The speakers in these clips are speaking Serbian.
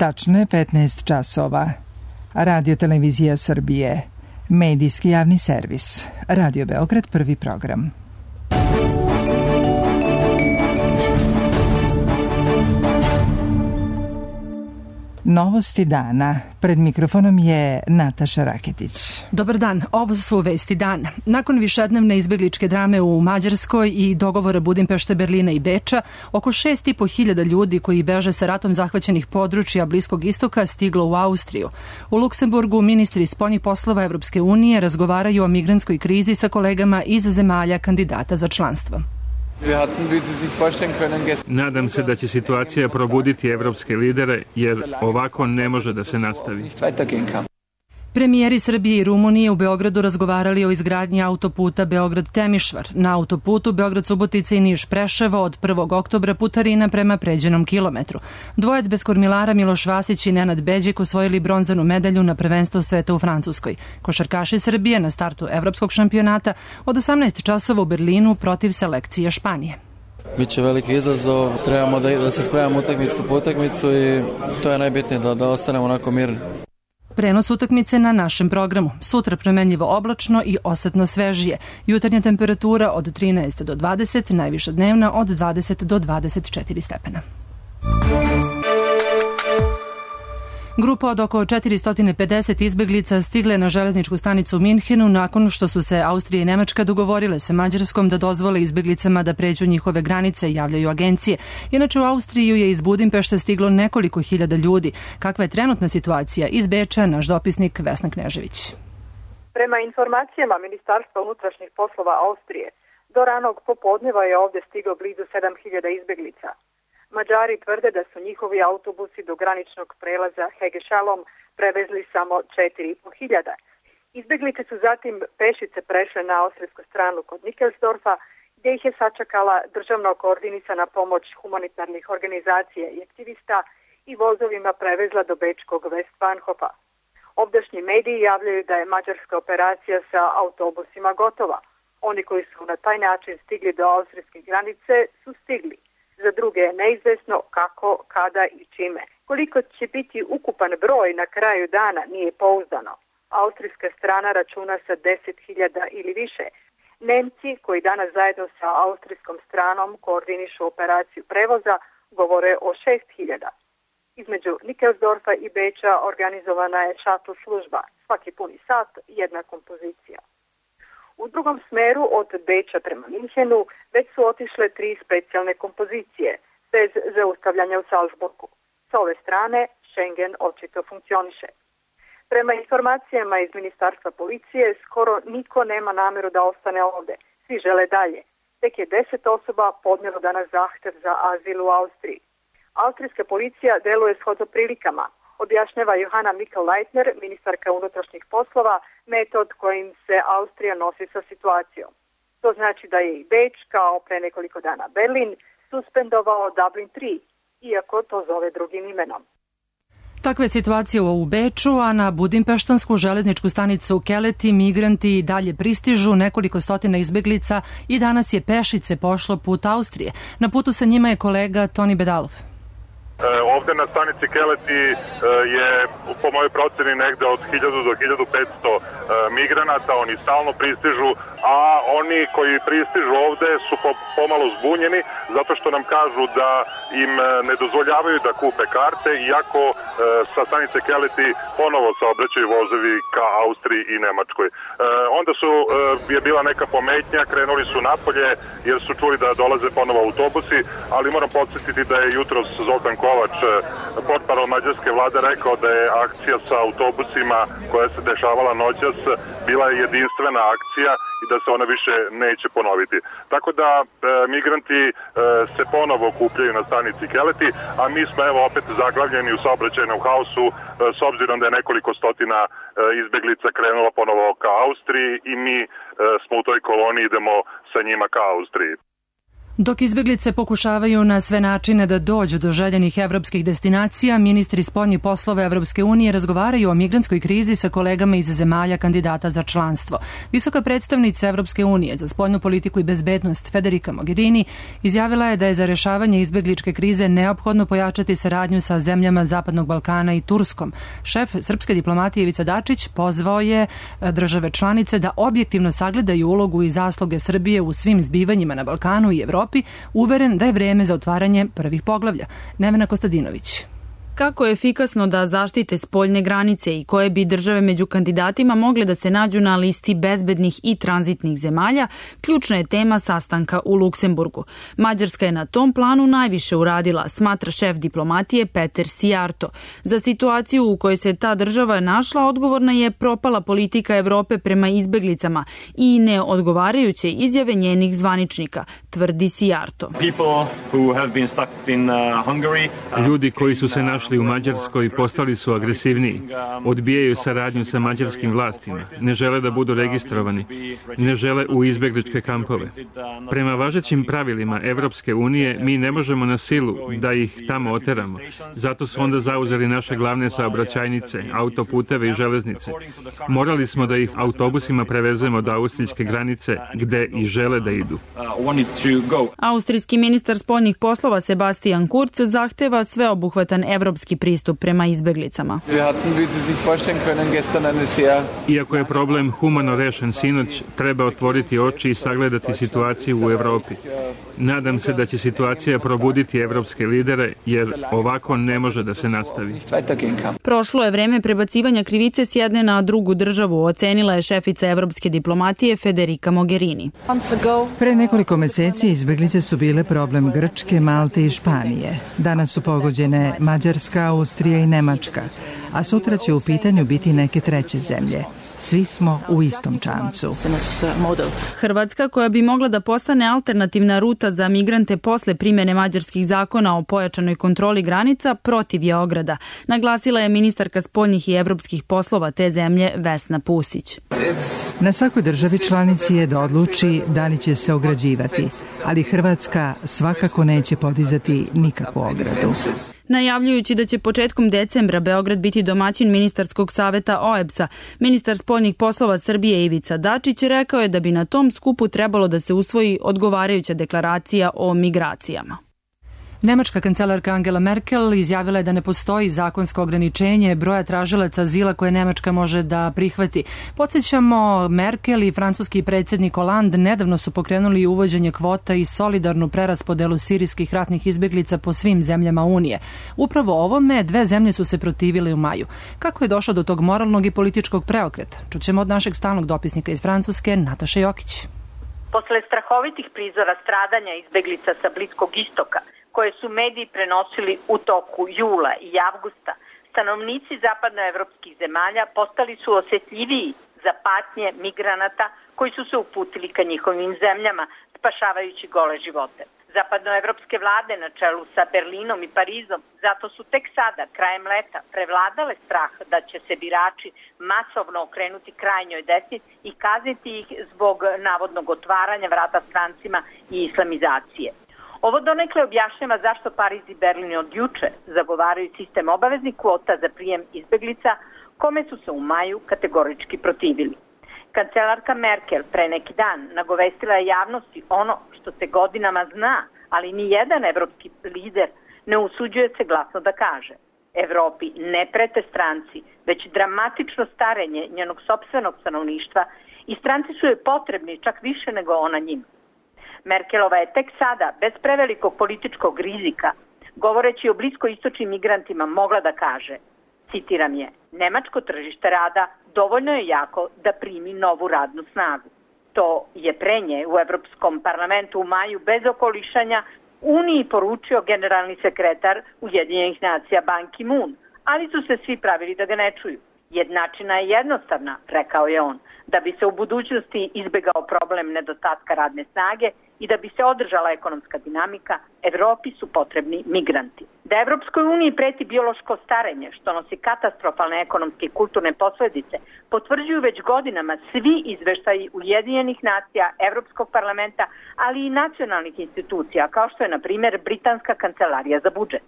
Tačno je 15 časova. Radio Televizija Srbije. Medijski javni servis. Radio Beograd, prvi program. Novosti dana. Pred mikrofonom je Nataša Raketić. Dobar dan, ovo su vesti dana. Nakon višednevne izbegličke drame u Mađarskoj i dogovora Budimpešte, Berlina i Beča, oko 6.500 ljudi koji beže sa ratom zahvaćenih područja Bliskog istoka stiglo u Austriju. U Luksemburgu ministri spoljnih poslova Evropske unije razgovaraju o migrantskoj krizi sa kolegama iz zemalja kandidata za članstvo. Nadam se da će situacija probuditi evropske lidere, jer ovako ne može da se nastavi. Premijeri Srbije i Rumunije u Beogradu razgovarali o izgradnji autoputa Beograd-Temišvar. Na autoputu Beograd-Subotica i Niš-Preševo od 1. oktobra putarina prema pređenom kilometru. Dvojec bez kormilara Miloš Vasić i Nenad Beđik osvojili bronzanu medalju na prvenstvu sveta u Francuskoj. Košarkaši Srbije na startu evropskog šampionata od 18 časova u Berlinu protiv selekcije Španije. Biće veliki izazov, trebamo da se spremamo utakmicu po utakmicu i to je najbitnije da ostanemo onako mirni. Prenos utakmice na našem programu. Sutra promenljivo oblačno i osetno svežije. Jutarnja temperatura od 13 do 20, najviša dnevna od 20 do 24 stepena. Grupa od oko 450 izbeglica stigle na železničku stanicu u Minhenu nakon što su se Austrija i Nemačka dogovorile sa Mađarskom da dozvole izbeglicama da pređu njihove granice, javljaju agencije. Inače u Austriju je iz Budimpešte stiglo nekoliko hiljada ljudi. Kakva je trenutna situacija? Iz Beča naš dopisnik Vesna Knežević. Prema informacijama Ministarstva unutrašnjih poslova Austrije, do ranog popodneva je ovde stiglo blizu 7.000 izbeglica. Mađari tvrde da su njihovi autobusi do graničnog prelaza Hegešalom prevezli samo 4.500. Izbeglice su zatim pešice prešle na austrijsku stranu kod Nickelsdorfa, gdje ih je sačekala državno koordinisana pomoć humanitarnih organizacija i aktivista i vozovima prevezla do bečkog Westbahnhofa. Ovdašnji mediji javljaju da je mađarska operacija sa autobusima gotova. Oni koji su na taj način stigli do austrijske granice su stigli. Za druge je neizvesno kako, kada i čime. Koliko će biti ukupan broj na kraju dana nije pouzdano. Austrijska strana računa sa 10.000 ili više. Nemci, koji danas zajedno sa austrijskom stranom koordinišu operaciju prevoza, govore o 6.000. Između Nickelsdorfa i Beča organizovana je shuttle služba. Svaki puni sat, jedna kompozicija. U drugom smeru od Beča prema Minhenu već su otišle 3 specijalne kompozicije, bez zaustavljanja u Salzburgu. S ove strane Schengen očito funkcioniše. Prema informacijama iz Ministarstva policije, skoro niko nema nameru da ostane ovde. Svi žele dalje. Tek je 10 osoba podnelo danas zahtev za azil u Austriji. Austrijska policija deluje shodno prilikama. Objašnjava Johanna Mikl-Leitner, ministarka unutrašnjih poslova, metod kojim se Austrija nosi sa situacijom. To znači da je i Beč, kao pre nekoliko dana Berlin, suspendovao Dublin 3, iako to zove drugim imenom. Takva je situacija u Beču, a na budimpeštansku železničku stanicu Keleti migranti i dalje pristižu, nekoliko stotina izbeglica i danas je pešice pošlo put Austrije. Na putu sa njima je kolega Toni Bedalov. Ovde na stanici Keleti je po mojoj proceni negde od 1000 do 1500 migranata, oni stalno pristižu, a oni koji pristižu ovde su pomalo zbunjeni zato što nam kažu da im ne dozvoljavaju da kupe karte, iako sa stanice Keleti ponovo saobraćaju vozovi ka Austriji i Nemačkoj. Onda je bila neka pometnja, krenuli su napolje jer su čuli da dolaze ponovo autobusi, ali moram podsjetiti da je jutros Zoltan Kovač, portparol mađarske vlade, rekao da je akcija sa autobusima koja se dešavala noćas bila jedinstvena akcija i da se ona više neće ponoviti. Tako da migranti se ponovo okupljaju na stanici Keleti, a mi smo evo opet zaglavljeni u saobraćajnom haosu s obzirom da je nekoliko stotina izbeglica krenulo ponovo ka Austriji i mi smo u toj koloni, idemo sa njima ka Austriji. Dok izbeglice pokušavaju na sve načine da dođu do željenih evropskih destinacija, ministri spoljnih poslova Evropske unije razgovaraju o migrantskoj krizi sa kolegama iz zemalja kandidata za članstvo. Visoka predstavnica Evropske unije za spoljnu politiku i bezbednost Federica Mogherini izjavila je da je za rješavanje izbegličke krize neophodno pojačati saradnju sa zemljama Zapadnog Balkana i Turskom. Šef srpske diplomatije Ivica Dačić pozvao je države članice da objektivno sagledaju ulogu i zasluge Srbije u svim zbivanjima na Balkanu i Evropi, uveren da je vreme za otvaranje prvih poglavlja. Nevena Kostadinović. Kako je efikasno da zaštite spoljne granice i koje bi države među kandidatima mogle da se nađu na listi bezbednih i tranzitnih zemalja, ključna je tema sastanka u Luksemburgu. Mađarska je na tom planu najviše uradila, smatra šef diplomatije Peter Sijarto. Za situaciju u kojoj se ta država našla odgovorna je propala politika Evrope prema izbeglicama i neodgovarajuće izjave njenih zvaničnika, tvrdi Sijarto. Ljudi koji su se našli u Mađarskoj postali su agresivniji, odbijaju saradnju sa mađarskim vlastima, ne žele da budu registrovani, ne žele u izbegličke kampove. Prema važećim pravilima Evropske unije mi ne možemo na silu da ih tamo oteramo, zato su onda zauzeli naše glavne saobraćajnice, autoputeve i železnice. Morali smo da ih autobusima prevezemo do austrijske granice gde i žele da idu. Austrijski ministar spoljnih poslova Sebastian Kurz zahteva sveobuhvatan evropski pristup prema izbeglicama. Iako je problem humano rešen sinoć, treba otvoriti oči i sagledati situaciju u Evropi. Nadam se da će situacija probuditi evropske lidere, jer ovako ne može da se nastavi. Prošlo je vreme prebacivanja krivice s jedne na drugu državu, ocenila je šefica evropske diplomatije Federica Mogherini. Pre nekoliko meseci izbeglice su bile problem Grčke, Malte i Španije. Danas su pogođene Mađarska, Austrija i Nemačka, a sutra će u pitanju biti neke treće zemlje. Svi smo u istom čamcu. Hrvatska, koja bi mogla da postane alternativna ruta za migrante posle primjene mađarskih zakona o pojačanoj kontroli granica, protiv je ograda, naglasila je ministarka spoljnih i evropskih poslova te zemlje Vesna Pusić. Na svakoj državi članici je da odluči da li će se ograđivati, ali Hrvatska svakako neće podizati nikakvu ogradu. Najavljujući da će početkom decembra Beograd biti domaćin ministarskog saveta OEBS-a, ministar spoljnih poslova Srbije Ivica Dačić rekao je da bi na tom skupu trebalo da se usvoji odgovarajuća deklaracija o migracijama. Nemačka kancelarka Angela Merkel izjavila je da ne postoji zakonsko ograničenje broja tražilaca azila koje Nemačka može da prihvati. Podsjećamo, Merkel i francuski predsjednik Hollande nedavno su pokrenuli uvođenje kvota i solidarnu preraspodelu sirijskih ratnih izbjeglica po svim zemljama Unije. Upravo ovome dve zemlje su se protivile u maju. Kako je došlo do tog moralnog i političkog preokreta? Čućemo od našeg stalnog dopisnika iz Francuske, Nataše Jokić. Posle strahovitih prizora stradanja izbjeglica sa Bliskog istoka, koje su mediji prenosili u toku jula i avgusta, stanovnici zapadnoevropskih zemalja postali su osjetljiviji za patnje migranata koji su se uputili ka njihovim zemljama, spašavajući gole živote. Zapadnoevropske vlade na čelu sa Berlinom i Parizom zato su tek sada, krajem leta, prevladale strah da će se birači masovno okrenuti krajnjoj desnici i kazniti ih zbog navodnog otvaranja vrata strancima i islamizacije. Ovo donekle objašnjava zašto Pariz i Berlin od juče zagovaraju sistem obaveznih kvota za prijem izbeglica, kome su se u maju kategorički protivili. Kancelarka Merkel pre neki dan nagovestila je javnosti ono što se godinama zna, ali ni jedan evropski lider ne usuđuje se glasno da kaže. Evropi ne prete stranci, već dramatično starenje njenog sopstvenog stanovništva i stranci su joj potrebni čak više nego ona njima. Merkelova je tek sada, bez prevelikog političkog rizika, govoreći o bliskoistočnim migrantima, mogla da kaže, citiram je, nemačko tržište rada dovoljno je jako da primi novu radnu snagu. To je pre nje u Evropskom parlamentu u maju bez okolišanja Uniji poručio generalni sekretar Ujedinjenih nacija Ban Ki-moon, ali su se svi pravili da ga ne čuju. Jednačina je jednostavna, rekao je on, da bi se u budućnosti izbegao problem nedostatka radne snage i da bi se održala ekonomska dinamika, Evropi su potrebni migranti. Da Evropskoj uniji preti biološko starenje, što nosi katastrofalne ekonomske i kulturne posledice, potvrđuju već godinama svi izveštaji Ujedinjenih nacija, Evropskog parlamenta, ali i nacionalnih institucija, kao što je, na primjer, Britanska kancelarija za budžet.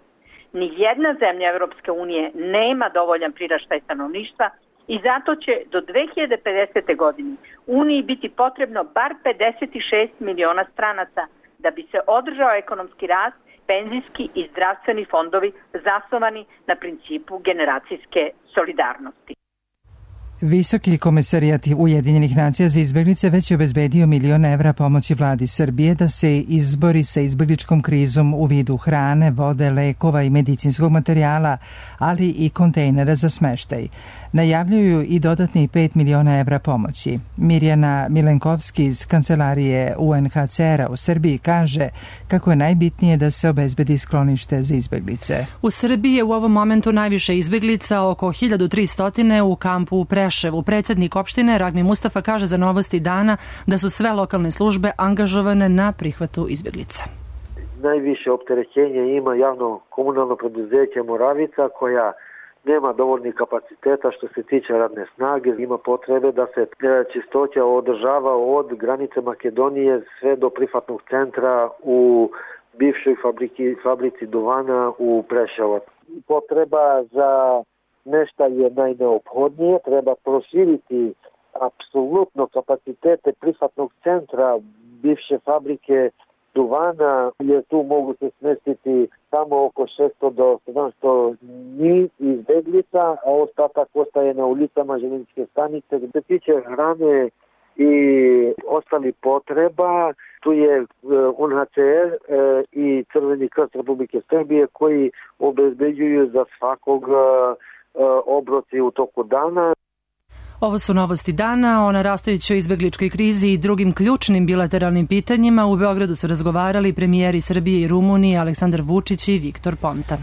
Nijedna zemlja Evropske unije nema dovoljan priraštaj stanovništva i zato će do 2050. godine Uniji biti potrebno bar 56 miliona stranaca da bi se održao ekonomski rast, penzijski i zdravstveni fondovi zasnovani na principu generacijske solidarnosti. Visoki komesarijat Ujedinjenih nacija za izbeglice već je obezbedio €1.000.000 pomoći vladi Srbije da se izbori sa izbegličkom krizom u vidu hrane, vode, lekova i medicinskog materijala, ali i kontejnera za smeštaj. Najavljuju i dodatni €5 miliona pomoći. Mirjana Milenkovski iz kancelarije UNHCR-a u Srbiji kaže kako je najbitnije da se obezbedi sklonište za izbeglice. U Srbiji je u ovom momentu najviše izbeglica, oko 1300 u kampu u Preševu. Predsjednik opštine Ragmi Mustafa kaže za Novosti dana da su sve lokalne službe angažovane na prihvatu izbeglica. Najviše opterećenje ima javno komunalno preduzeće Moravica, koja nema dovoljnih kapaciteta što se tiče radne snage. Ima potrebe da se čistoća održava od granice Makedonije sve do prihvatnog centra u bivšoj fabrici duvana u Preševu. Potreba za nešto je najneophodnije. Treba proširiti apsolutno kapacitete prihvatnog centra bivše fabrike duvana, jer tu mogu se smestiti samo oko 600 do 700 njih izbeglica, a ostatak ostaje na ulicama željezničke stanice. Gde se tiče hrane i ostali potreba, tu je UNHCR i Crveni krst Republike Srbije koji obezbeđuju za svakog obroci u toku dana. Ovo su Novosti dana. O narastajućoj izbegličkoj krizi i drugim ključnim bilateralnim pitanjima u Beogradu su razgovarali premijeri Srbije i Rumunije Aleksandar Vučić i Viktor Ponta.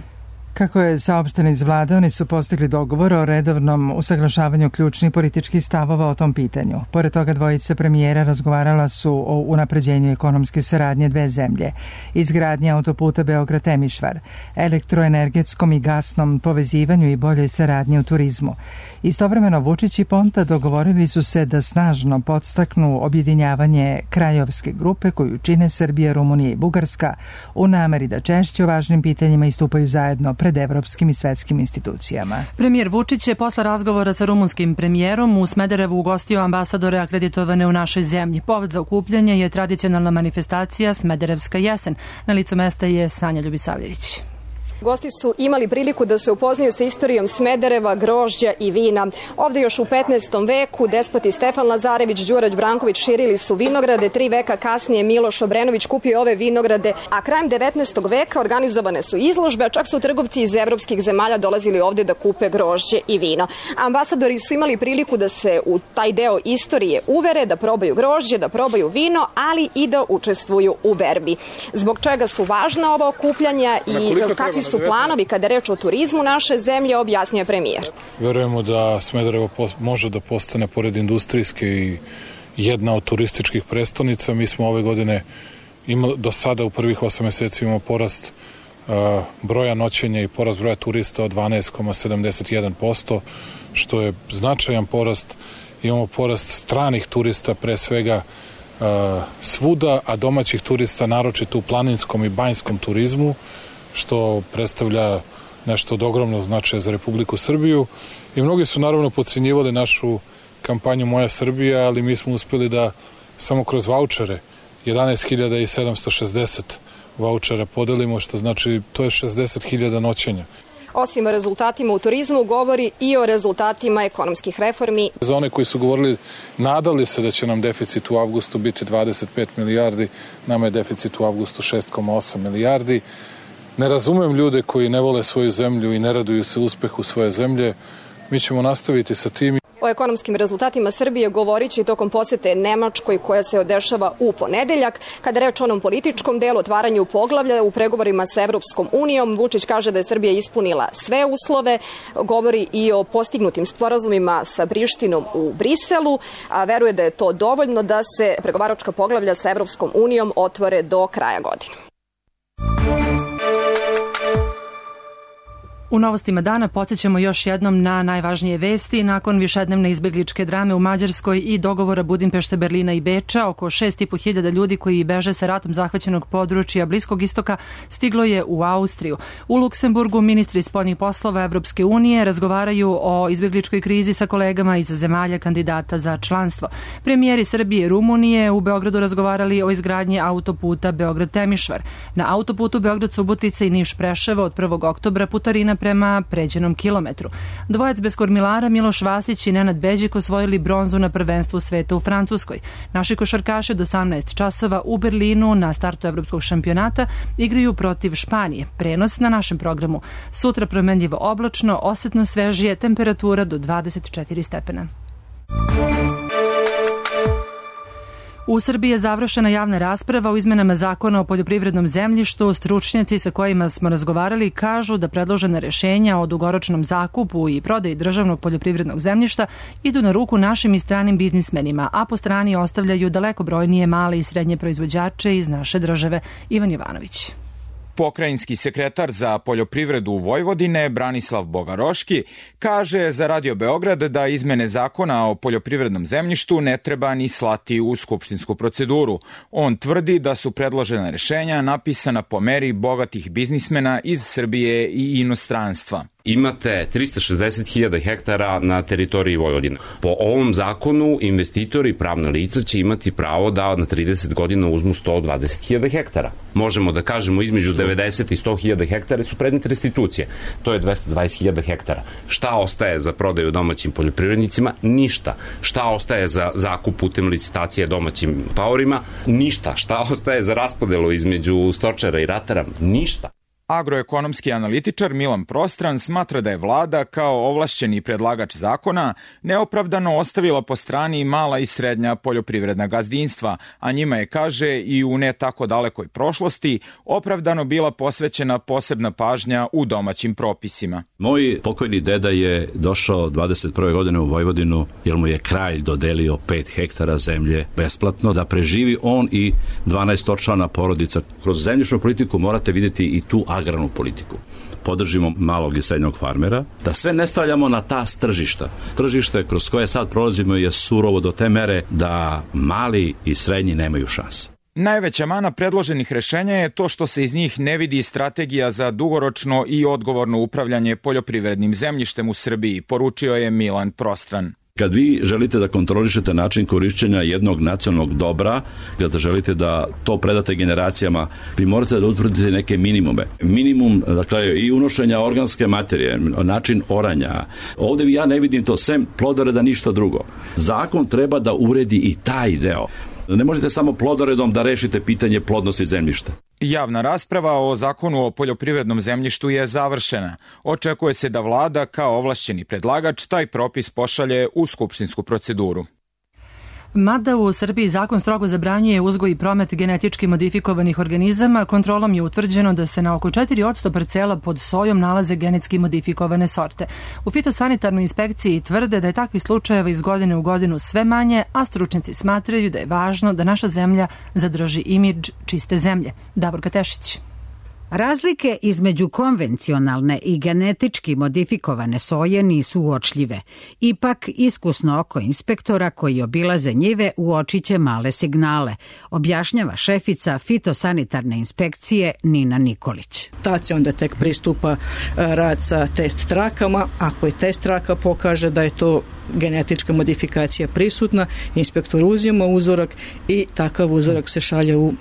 Kako je saopšteno iz vlade, oni su postigli dogovor o redovnom usaglašavanju ključnih političkih stavova o tom pitanju. Pored toga, dvojica premijera razgovarala su o unapređenju ekonomske saradnje dve zemlje, izgradnje autoputa Beograd-Temišvar, elektroenergetskom i gasnom povezivanju i boljoj saradnji u turizmu. Istovremeno, Vučić i Ponta dogovorili su se da snažno podstaknu objedinjavanje krajovske grupe koju čine Srbija, Rumunija i Bugarska u nameri da češće o važnim pitanjima istupaju zajedno pred evropskim i svetskim institucijama. Premijer Vučić je posle razgovora sa rumunskim premijerom u Smederevu ugostio ambasadore akreditovane u našoj zemlji. Povod za okupljanje je tradicionalna manifestacija Smederevska jesen. Na licu mesta je Sanja Ljubisavljević. Gosti su imali priliku da se upoznaju sa istorijom Smedereva, grožđa i vina. Ovde još u 15. veku despoti Stefan Lazarević, Đurađ Branković širili su vinograde, 3 veka kasnije Miloš Obrenović kupio ove vinograde, a krajem 19. veka organizovane su izložbe, a čak su trgovci iz evropskih zemalja dolazili ovde da kupe grožđe i vino. Ambasadori su imali priliku da se u taj deo istorije uvere, da probaju grožđe, da probaju vino, ali i da učestvuju u berbi. Zbog čega su važna ova okupljanja i kakvi su planovi kada je reč o turizmu naše zemlje, objasnio je premijer. Verujemo da Smederevo može da postane pored industrijske i jedna od turističkih prestonica. Mi smo ove godine do sada u prvih 8 meseci imamo porast broja noćenja i porast broja turista od 12,71%, što je značajan porast. Imamo porast stranih turista pre svega svuda, a domaćih turista naročito u planinskom i banjskom turizmu, što predstavlja nešto od ogromnog značaja za Republiku Srbiju. I mnogi su naravno podcenjivali našu kampanju Moja Srbija, ali mi smo uspeli da samo kroz vaučere 11.760 vaučera podelimo, što znači to je 60.000 noćenja. Osim o rezultatima u turizmu, govori i o rezultatima ekonomskih reformi. Za one koji su govorili, nadali se da će nam deficit u avgustu biti 25 milijardi, nama je deficit u avgustu 6,8 milijardi. Ne razumem ljude koji ne vole svoju zemlju i ne raduju se uspehu svoje zemlje. Mi ćemo nastaviti sa tim. O O ekonomskim rezultatima Srbije govorit će i tokom posete Nemačkoj koja se odešava u ponedeljak. Kada reč o onom političkom delu, otvaranju poglavlja u pregovorima sa Evropskom unijom, Vučić kaže da je Srbija ispunila sve uslove, govori i o postignutim sporazumima sa Prištinom u Briselu, a veruje da je to dovoljno da se pregovaračka poglavlja sa Evropskom unijom otvore do kraja godine. U novostima dana podsjećamo još jednom na najvažnije vesti. Nakon višednevne izbegličke drame u Mađarskoj i dogovora Budimpešte, Berlina i Beča, oko 6.500 ljudi koji beže sa ratom zahvaćenog područja Bliskog istoka stiglo je u Austriju. U Luksemburgu ministri spoljnih poslova Evropske unije razgovaraju o izbegličkoj krizi sa kolegama iz zemalja kandidata za članstvo. Premijeri Srbije i Rumunije u Beogradu razgovarali o izgradnji autoputa Beograd-Temišvar. Na autoputu Beograd-Subotica i Niš-Preševo od 1. oktobra putarina prema pređenom kilometru. Dvojac bez kormilara Miloš Vasić i Nenad Beđik osvojili bronzu na prvenstvu sveta u Francuskoj. Naši košarkaši do 18 časova u Berlinu na startu evropskog šampionata igraju protiv Španije. Prenos na našem programu. Sutra promenljivo oblačno, osetno svežije, temperatura do 24 stepena. U Srbiji je završena javna rasprava o izmenama zakona o poljoprivrednom zemljištu. Stručnjaci sa kojima smo razgovarali kažu da predložena rešenja o dugoročnom zakupu i prodaji državnog poljoprivrednog zemljišta idu na ruku našim i stranim biznismenima, a po strani ostavljaju daleko brojnije male i srednje proizvođače iz naše države. Ivan Jovanović. Pokrajinski sekretar za poljoprivredu Vojvodine Branislav Bogaroški kaže za Radio Beograd da izmene zakona o poljoprivrednom zemljištu ne treba ni slati u skupštinsku proceduru. On tvrdi da su predložena rešenja napisana po meri bogatih biznismena iz Srbije i inostranstva. Imate 360.000 hektara na teritoriji Vojvodine. Po ovom zakonu investitori i pravna lica će imati pravo da na 30 godina uzmu 120.000 hektara. Možemo da kažemo između 90 i 100.000 hektara su predmet restitucije. To je 220.000 hektara. Šta ostaje za prodaju domaćim poljoprivrednicima? Ništa. Šta ostaje za zakup putem licitacije domaćim paorima? Ništa. Šta ostaje za raspodelu između stočara i ratara? Ništa. Agroekonomski analitičar Milan Prostran smatra da je vlada kao ovlašćeni predlagač zakona neopravdano ostavila po strani mala i srednja poljoprivredna gazdinstva, a njima je, kaže, i u ne tako dalekoj prošlosti opravdano bila posvećena posebna pažnja u domaćim propisima. Moj pokojni deda je došao 21. godine u Vojvodinu jer mu je kralj dodelio 5 hektara zemlje besplatno da preživi on i 12 očlana porodica. Kroz zemljišnu politiku morate vidjeti i tu agrarnu politiku. Podržimo malog i srednjog farmera, da sve ne stavljamo na ta tržišta. Tržište kroz koje sad prolazimo je surovo do te mere da mali i srednji nemaju šanse. Najveća mana predloženih rešenja je to što se iz njih ne vidi strategija za dugoročno i odgovorno upravljanje poljoprivrednim zemljištem u Srbiji, poručio je Milan Prostran. Kad vi želite da kontrolišete način korišćenja jednog nacionalnog dobra, kada želite da to predate generacijama, vi morate da utvrdite neke minimume. Minimum, dakle, i unošenja organske materije, način oranja. Ovde ja ne vidim to sem plodoreda, ništa drugo. Zakon treba da uredi i taj deo. Ne možete samo plodoredom da rešite pitanje plodnosti zemljišta. Javna rasprava o zakonu o poljoprivrednom zemljištu je završena. Očekuje se da vlada kao ovlašćeni predlagač taj propis pošalje u skupštinsku proceduru. Mada u Srbiji zakon strogo zabranjuje uzgoj i promet genetički modifikovanih organizama, kontrolom je utvrđeno da se na oko 4% parcela pod sojom nalaze genetski modifikovane sorte. U fitosanitarnoj inspekciji tvrde da je takvih slučajeva iz godine u godinu sve manje, a stručnjaci smatraju da je važno da naša zemlja zadrži imidž čiste zemlje. Davorka Tešić. Razlike između konvencionalne i genetički modifikovane soje nisu uočljive. Ipak, iskusno oko inspektora koji obilaze njive uočiće male signale, objašnjava šefica fitosanitarne inspekcije Nina Nikolić. Tad se onda tek pristupa rad sa test trakama. Ako je test traka pokaže da je to genetička modifikacija prisutna, inspektor uzima uzorak i takav uzorak se šalje u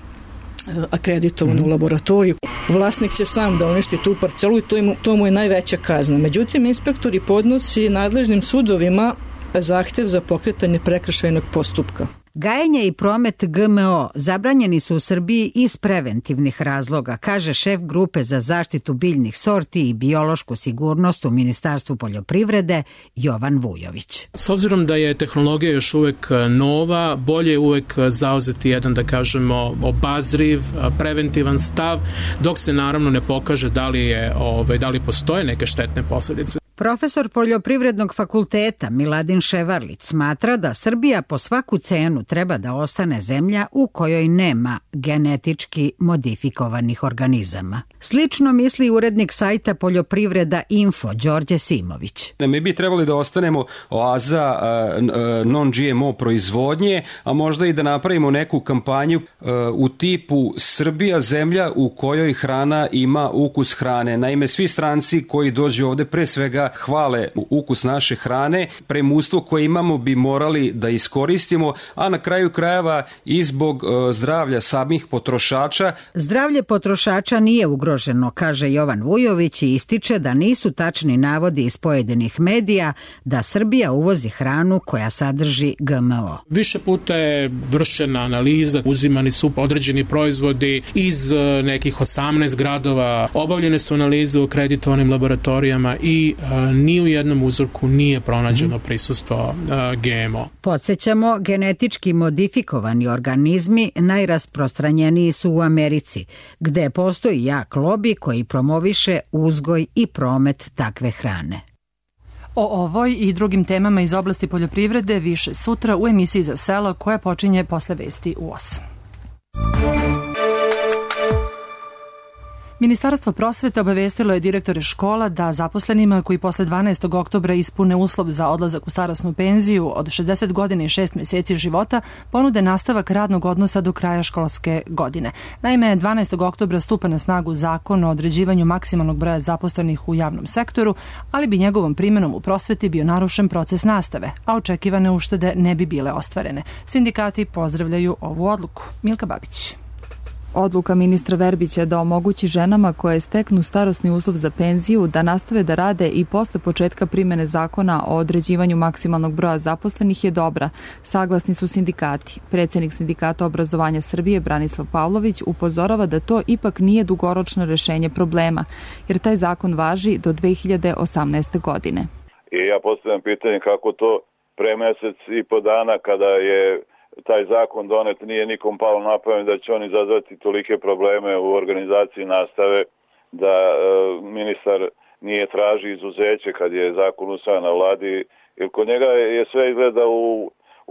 akreditovanu laboratoriju. Vlasnik će sam da uništi tu parcelu i to mu je najveća kazna. Međutim, inspektori podnosi nadležnim sudovima zahtev za pokretanje prekršajnog postupka. Gajenje i promet GMO zabranjeni su u Srbiji iz preventivnih razloga, kaže šef grupe za zaštitu biljnih sorti i biološku sigurnost u Ministarstvu poljoprivrede Jovan Vujović. S obzirom da je tehnologija još uvek nova, bolje je uvek zauzeti jedan, da kažemo, obazriv, preventivan stav, dok se naravno ne pokaže da li postoje neke štetne posljedice. Profesor Poljoprivrednog fakulteta Miladin Ševarlić smatra da Srbija po svaku cenu treba da ostane zemlja u kojoj nema genetički modifikovanih organizama. Slično misli urednik sajta Poljoprivreda Info Đorđe Simović. Mi bi trebali da ostanemo oaza non-GMO proizvodnje, a možda i da napravimo neku kampanju u tipu Srbija zemlja u kojoj hrana ima ukus hrane. Naime, svi stranci koji dođu ovde pre svega hvale ukus naše hrane, premustvo koje imamo bi morali da iskoristimo, a na kraju krajeva i zbog zdravlja samih potrošača. Zdravlje potrošača nije ugroženo, kaže Jovan Vujović i ističe da nisu tačni navodi iz pojedinih medija da Srbija uvozi hranu koja sadrži GMO. Više puta je vršena analiza, uzimani su određeni proizvodi iz nekih 18 gradova, obavljene su analize u akreditovanim laboratorijama i ni u jednom uzorku nije pronađeno prisustvo GMO. Podsjećamo, genetički modifikovani organizmi najrasprostranjeniji su u Americi, gde postoji jak lobi koji promoviše uzgoj i promet takve hrane. O ovoj i drugim temama iz oblasti poljoprivrede više sutra u emisiji Za selo koja počinje posle vesti u 8. Ministarstvo prosvete obavestilo je direktore škola da zaposlenima koji posle 12. oktobra ispune uslov za odlazak u starosnu penziju od 60 godina i 6 meseci života ponude nastavak radnog odnosa do kraja školske godine. Naime, 12. oktobra stupa na snagu zakon o određivanju maksimalnog broja zaposlenih u javnom sektoru, ali bi njegovom primenom u prosveti bio narušen proces nastave, a očekivane uštede ne bi bile ostvarene. Sindikati pozdravljaju ovu odluku. Milka Babić. Odluka ministra Verbića da omogući ženama koje steknu starosni uslov za penziju da nastave da rade i posle početka primene zakona o određivanju maksimalnog broja zaposlenih je dobra, saglasni su sindikati. Predsednik Sindikata obrazovanja Srbije Branislav Pavlović upozorava da to ipak nije dugoročno rešenje problema, jer taj zakon važi do 2018. godine. I ja postavljam pitanje kako to pre mesec i po dana kada je taj zakon donet nije nikom palo na pamet da će on izazvati tolike probleme u organizaciji nastave, da ministar nije traži izuzeće kad je zakon usvajan na vladi, jer kod njega je sve izgleda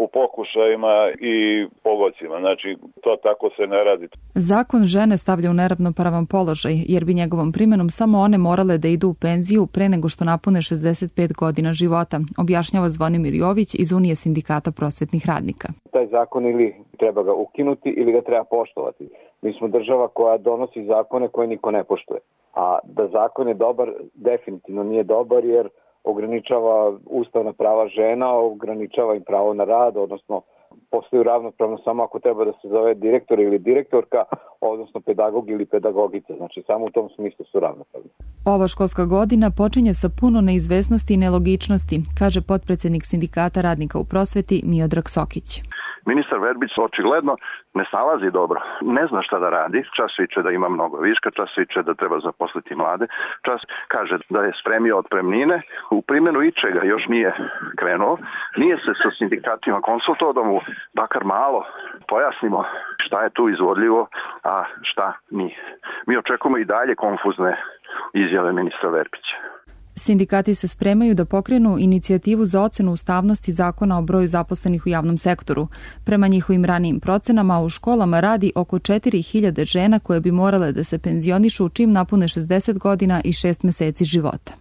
u pokušajima i pogodcima. Znači, to tako se ne radi. Zakon žene stavlja u neravnopravan položaj, jer bi njegovom primenom samo one morale da idu u penziju pre nego što napune 65 godina života, objašnjava Zvonimir Jović iz Unije sindikata prosvetnih radnika. Taj zakon ili treba ga ukinuti ili ga treba poštovati. Mi smo država koja donosi zakone koje niko ne poštuje. A da zakon je dobar, definitivno nije dobar jer ograničava ustavna prava žena, ograničava im pravo na rad, odnosno postaju ravnopravno samo ako treba da se zove direktor ili direktorka, odnosno pedagog ili pedagogica. Znači, samo u tom smislu su ravnopravni. Ova školska godina počinje sa puno neizvesnosti i nelogičnosti, kaže potpredsednik Sindikata radnika u prosveti Miodrag Sokić. Ministar Verbić očigledno ne snalazi dobro, ne zna šta da radi, čas viče da ima mnogo viška, čas viče da treba zaposliti mlade, čas kaže da je spremio otpremnine, u primjenu ičega još nije krenuo, nije se sa sindikatima konsultovao da mu bakar malo pojasnimo šta je tu izvodljivo, a šta nije. Mi očekujemo i dalje konfuzne izjave ministra Verbića. Sindikati se spremaju da pokrenu inicijativu za ocenu ustavnosti zakona o broju zaposlenih u javnom sektoru. Prema njihovim ranijim procenama u školama radi oko 4000 žena koje bi morale da se penzionišu čim napune 60 godina i 6 meseci života.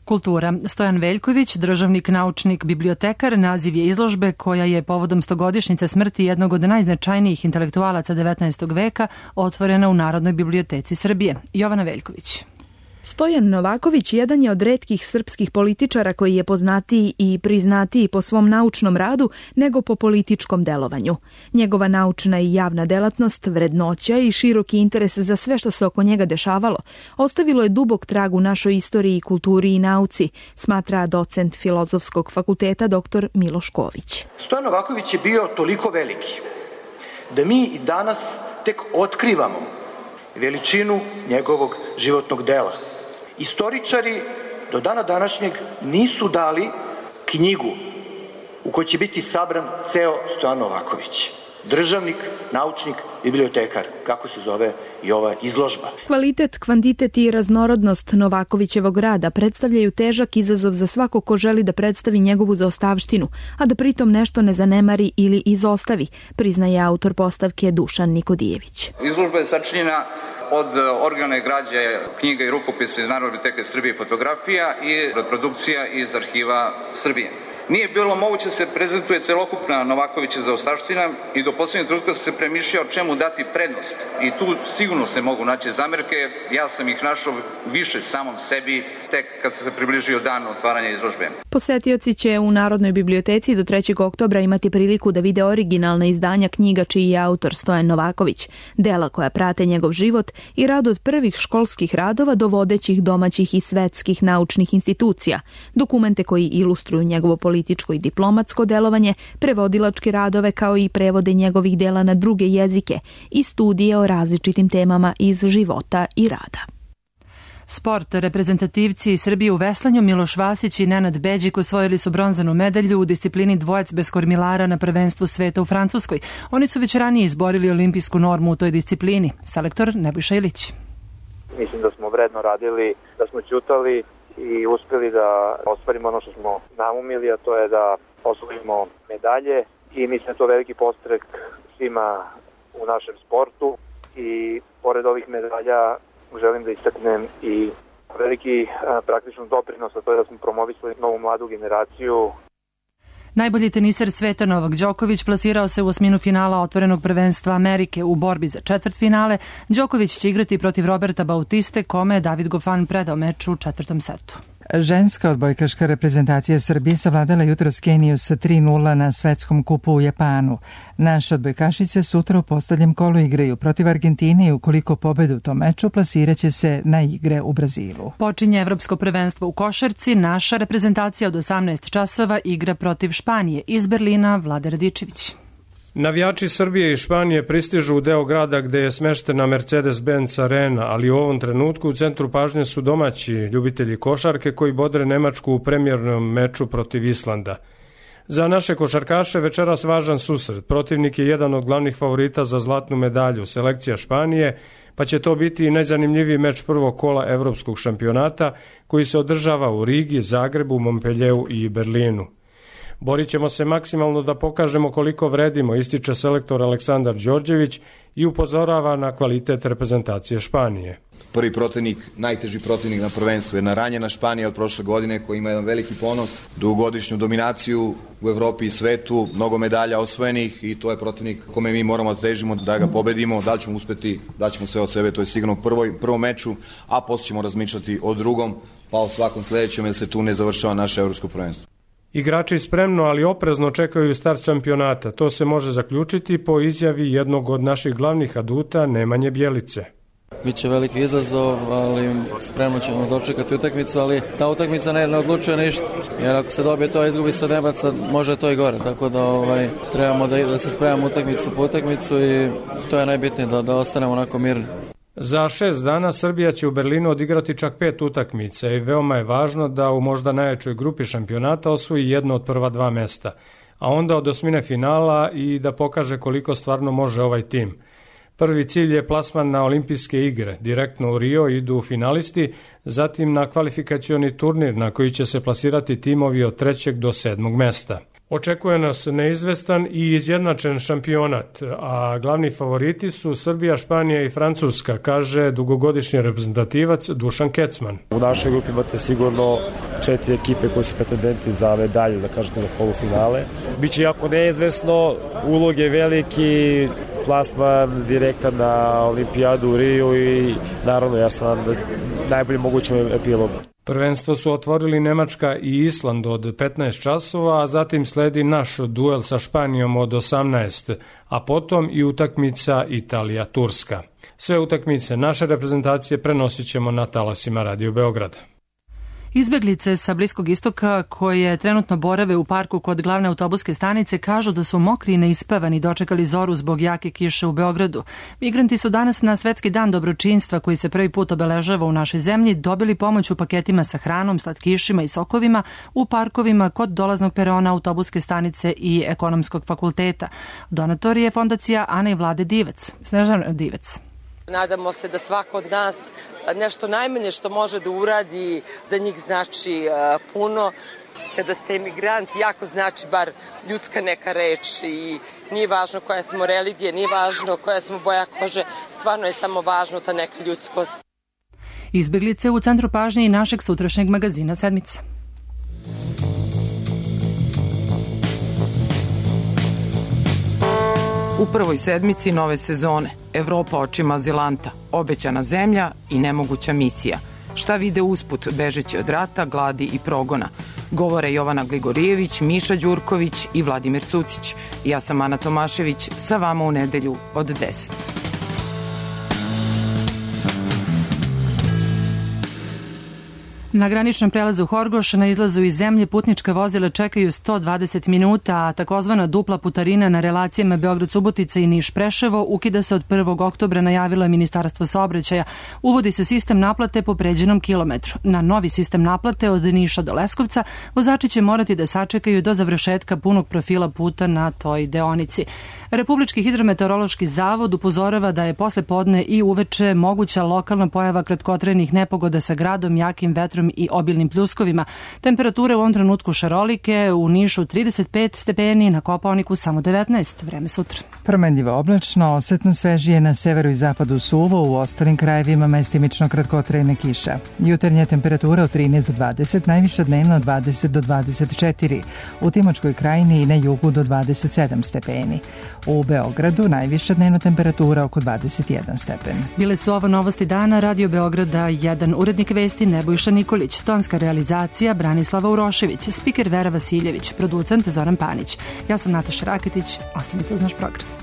Kultura. Stojan Veljković, državnik, naučnik, bibliotekar, naziv je izložbe koja je povodom 100-godišnjice smrti jednog od najznačajnijih intelektualaca 19. veka otvorena u Narodnoj biblioteci Srbije. Jovana Veljković. Stojan Novaković jedan je od retkih srpskih političara koji je poznatiji i priznatiji po svom naučnom radu nego po političkom delovanju. Njegova naučna i javna delatnost, vrednoća i široki interes za sve što se oko njega dešavalo ostavilo je dubok trag u našoj istoriji, kulturi i nauci, smatra docent Filozofskog fakulteta dr. Miloš Ković. Stojan Novaković je bio toliko veliki da mi i danas tek otkrivamo veličinu njegovog životnog dela. Istoričari do dana današnjeg nisu dali knjigu u kojoj će biti sabran ceo Stojan Novaković. Državnik, naučnik, bibliotekar, kako se zove i ova izložba. Kvalitet, kvantitet i raznorodnost Novakovićevog rada predstavljaju težak izazov za svako ko želi da predstavi njegovu zaostavštinu, a da pritom nešto ne zanemari ili izostavi, priznaje autor postavke Dušan Nikodijević. Izložba je sačinjena od organa građe, knjiga i rukopisa iz Narodne biblioteke Srbije i fotografija i reprodukcija iz arhiva Srbije. Nije bilo moguće da se prezentuje celokupna Novakovića zaostavština i do poslednjeg trenutka se premišljao čemu dati prednost. I tu sigurno se mogu naći zamerke. Ja sam ih našao više samom sebi tek kad se približio dan otvaranja izložbe. Posetioci će u Narodnoj biblioteci do 3. oktobra imati priliku da vide originalna izdanja knjiga čiji je autor Stojan Novaković, dela koja prate njegov život i rad od prvih školskih radova do vodećih domaćih i svetskih naučnih institucija, dokumente koji ilustruju njegovo političko i diplomatsko delovanje, prevodilačke radove kao i prevode njegovih dela na druge jezike i studije o različitim temama iz života i rada. Sport. Reprezentativci Srbije u veslanju Miloš Vasić i Nenad Beđik osvojili su bronzanu medalju u disciplini dvojac bez kormilara na prvenstvu sveta u Francuskoj. Oni su već ranije izborili olimpijsku normu u toj disciplini. Selektor Nebojša Ilić. Mislim da smo vredno radili, da smo ćutali i uspeli da ostvarimo ono što smo naumili, a to je da osvojimo medalje i mislim da je to veliki podstrek svima u našem sportu i pored ovih medalja želim da istaknem i veliki praktičan doprinos, a to je da smo promovisali novu mladu generaciju. Najbolji teniser sveta Novak Đoković plasirao se u osminu finala otvorenog prvenstva Amerike u borbi za četvrtfinale. Đoković će igrati protiv Roberta Bautiste, kome je David Goffin predao meč u četvrtom setu. Ženska odbojkaška reprezentacija Srbije savladala jutros Keniju sa 3:0 na svetskom kupu u Japanu. Naše odbojkašice sutra u poslednjem kolu igraju protiv Argentine i ukoliko pobedu u tom meču plasiraće se na igre u Brazilu. Počinje evropsko prvenstvo u košarci. Naša reprezentacija od 18 časova igra protiv Španije. Iz Berlina Vlade Radičević. Navijači Srbije i Španije pristižu u deo grada gde je smeštena Mercedes-Benz arena, ali u ovom trenutku u centru pažnje su domaći ljubitelji košarke koji bodre Nemačku u premijernom meču protiv Islanda. Za naše košarkaše večeras važan susret. Protivnik je jedan od glavnih favorita za zlatnu medalju, selekcija Španije, pa će to biti i najzanimljiviji meč prvog kola evropskog šampionata koji se održava u Rigi, Zagrebu, Montpellieru i Berlinu. Borit ćemo se maksimalno da pokažemo koliko vredimo, ističe selektor Aleksandar Đorđević i upozorava na kvalitet reprezentacije Španije. Prvi protivnik, najteži protivnik na prvenstvu, jedna ranjena Španija od prošle godine koja ima jedan veliki ponos, dugogodišnju dominaciju u Evropi i svetu, mnogo medalja osvojenih i to je protivnik kome mi moramo da težimo da ga pobedimo, da li ćemo uspeti, da ćemo sve od sebe, to je sigurno u prvom meču, a posle ćemo razmišljati o drugom, pa o svakom sledećem jer se tu ne završava naše evropsko prvenstvo. Igrači spremno, ali oprezno čekaju start šampionata. To se može zaključiti po izjavi jednog od naših glavnih aduta, Nemanje Bjelice. Biće veliki izazov, ali spremno ćemo dočekati utakmicu, ali ta utakmica ne odlučuje ništa. Jer ako se dobije to, izgubi se nebaca, može to i gore. Tako da trebamo da se spremamo utakmicu po utakmicu i to je najbitnije, da ostanemo onako mirni. Za 6 dana Srbija će u Berlinu odigrati čak 5 utakmica i veoma je važno da u možda najjačoj grupi šampionata osvoji jedno od prva 2 mesta, a onda od osmine finala i da pokaže koliko stvarno može ovaj tim. Prvi cilj je plasman na olimpijske igre, direktno u Rio idu finalisti, zatim na kvalifikacioni turnir na koji će se plasirati timovi od 3. do 7. mesta. Očekuje nas neizvestan i izjednačen šampionat, a glavni favoriti su Srbija, Španija i Francuska, kaže dugogodišnji reprezentativac Dušan Kecman. U našoj grupi imate sigurno 4 ekipe koji su pretendenti za medalju, da kažete, na polufinale. Biće jako neizvesno, ulog je veliki, plasman direktan na olimpijadu u Riju i naravno ja sam na najbolji mogućem epilogu. Prvenstvo su otvorili Nemačka i Island od 15 časova, a zatim sledi naš duel sa Španijom od 18, a potom i utakmica Italija-Turska. Sve utakmice naše reprezentacije prenosit ćemo na talasima Radio Beograd. Izbeglice sa Bliskog istoka koje trenutno borave u parku kod glavne autobuske stanice kažu da su mokri i neispavani dočekali zoru zbog jake kiše u Beogradu. Migranti su danas na Svetski dan dobročinstva koji se prvi put obeležava u našoj zemlji dobili pomoć u paketima sa hranom, slatkišima i sokovima u parkovima kod dolaznog perona autobuske stanice i Ekonomskog fakulteta. Donator je fondacija Ana i Vlade Divec. Snežana Divec. Nadamo se da svako od nas nešto najmanje što može da uradi za njih znači puno. Kada ste emigrant, jako znači bar ljudska neka reč i nije važno koja smo religije, nije važno koja smo boja kože, stvarno je samo važno ta neka ljudskost. Izbeglice u centru pažnje i našeg sutrašnjeg magazina Sedmice. U prvoj sedmici nove sezone Evropa očima azilanta, obećana zemlja i nemoguća misija. Šta vide usput bežeći od rata, gladi i progona? Govore Jovana Gligorijević, Miša Đurković i Vladimir Cucić. Ja sam Ana Tomašević, sa vama u nedelju od 10. Na graničnom prelazu Horgoš na izlazu iz zemlje putnička vozila čekaju 120 minuta, a takozvana dupla putarina na relacijama Beograd-Subotica i Niš-Preševo ukida se od 1. oktobra, najavilo je Ministarstvo saobraćaja. Uvodi se sistem naplate po pređenom kilometru. Na novi sistem naplate od Niša do Leskovca vozači će morati da sačekaju do završetka punog profila puta na toj deonici. Republički hidrometeorološki zavod upozorava da je posle podne i uveče moguća lokalna pojava kratkotrajnih nepogoda sa gradom, jakim vetrom i obilnim pljuskovima. Temperature u ovom trenutku šarolike, u Nišu 35 stepeni, na Kopaoniku samo 19. Vreme sutra. Promenljivo oblačno, osetno svežije na severu i zapadu suvo, u ostalim krajevima mestimično kratkotrajna kiša. Jutarnja temperatura od 13 do 20, najviša dnevna od 20 do 24. U Timočkoj krajini i na jugu do 27 stepeni. U Beogradu najviša dnevna temperatura oko 21 stepen. Bile su ovo novosti dana Radio Beograda 1. Urednik vesti Nebojša Nikolić, tonska realizacija Branislava Urošević, spiker Vera Vasiljević, producent Zoran Panić. Ja sam Nataša Raketić, ostanite uz naš program.